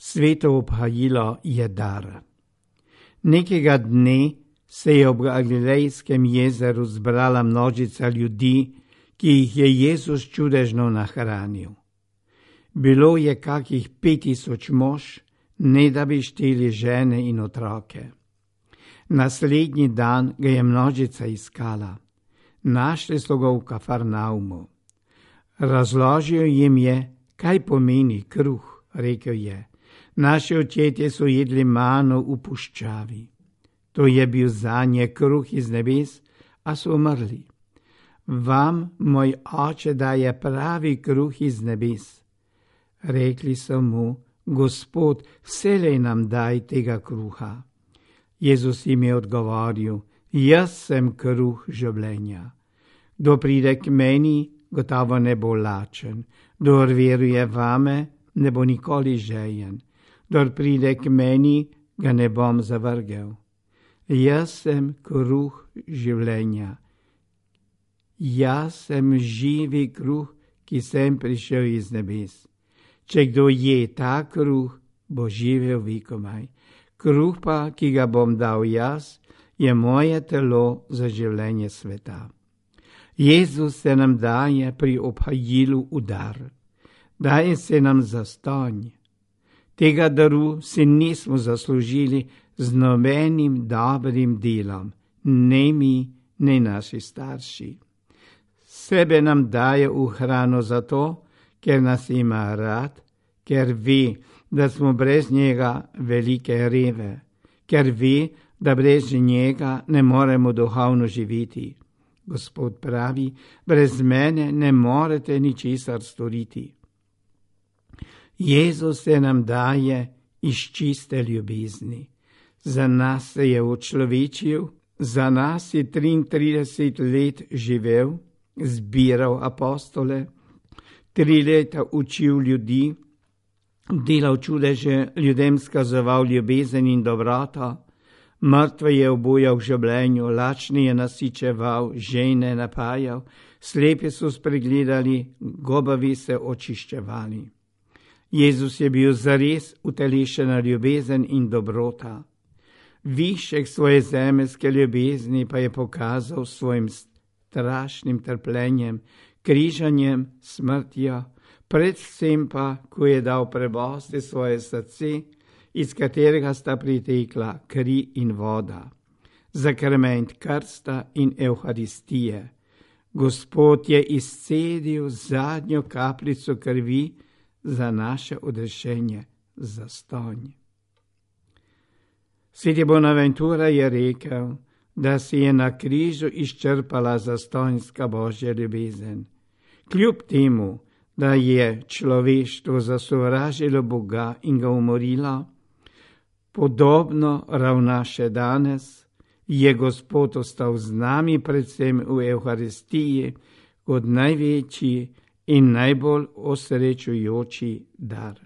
Sveto obhajilo je dar. Nekega dne se je ob Galilejskem jezeru zbrala množica ljudi, ki jih je Jezus čudežno nahranil. Bilo je kakih 5000 mož, ne da bi šteli žene in otroke. Naslednji dan ga je množica iskala. Našli so ga v Kafarnaumu. Razložil jim je, kaj pomeni kruh, rekel je. Naši očetje so jedli mano v puščavi. To je bil zanje kruh iz nebes, a so umrli. Vam moj oče daje pravi kruh iz nebes. Rekli so mu, Gospod, vselej nam daj tega kruha. Jezus jim je odgovoril, jaz sem kruh življenja. Kdo pride k meni, gotovo ne bo lačen. Kdor veruje vame, ne bo nikoli žejen. Kdor pride k meni, ga ne bom zavrgel. Jaz sem kruh življenja. Jaz sem živi kruh, ki sem prišel iz nebes. Če kdo je ta kruh, bo živel vekomaj. Kruh pa, ki ga bom dal jaz, je moje telo za življenje sveta. Jezus se nam daje pri obhajilu v dar. Daje se nam zastonj. Tega daru si nismo zaslužili z nobenim dobrim delom, ne mi, ne naši starši. Sebe nam daje v hrano zato, ker nas ima rad, ker ve, da smo brez njega velike reve, ker ve, da brez njega ne moremo duhovno živeti. Gospod pravi, brez mene ne morete ničesar storiti. Jezus se nam daje iz čiste ljubezni. Za nas se je učlovečil, za nas je 33 let živel, zbiral apostole, 3 leta učil ljudi, delal čudeže, ljudem skazoval ljubezen in dobroto, mrtve je obujal v življenju, lačni je nasičeval, žejne napajal, slepi so spregledali, gobavi se očiščevali. Jezus je bil zares utelešena ljubezen in dobrota. Višek svoje zemeljske ljubezni pa je pokazal svojim strašnim trpljenjem, križanjem, smrtjo, predvsem pa, ko je dal prebosti svoje srce, iz katerega sta pritekla kri in voda, zakrment krsta in evharistije. Gospod je izcedil zadnjo kapljico krvi za naše odrešenje, zastonj. Sveti Bonaventura je rekel, da si je na križu izčrpala zastonjska Božja ljubezen. Kljub temu, da je človeštvo zasovražilo Boga in ga umorilo, podobno ravna še danes, je Gospod ostal z nami predvsem v Evharistiji kot največji in najbolj osrečujoči dar.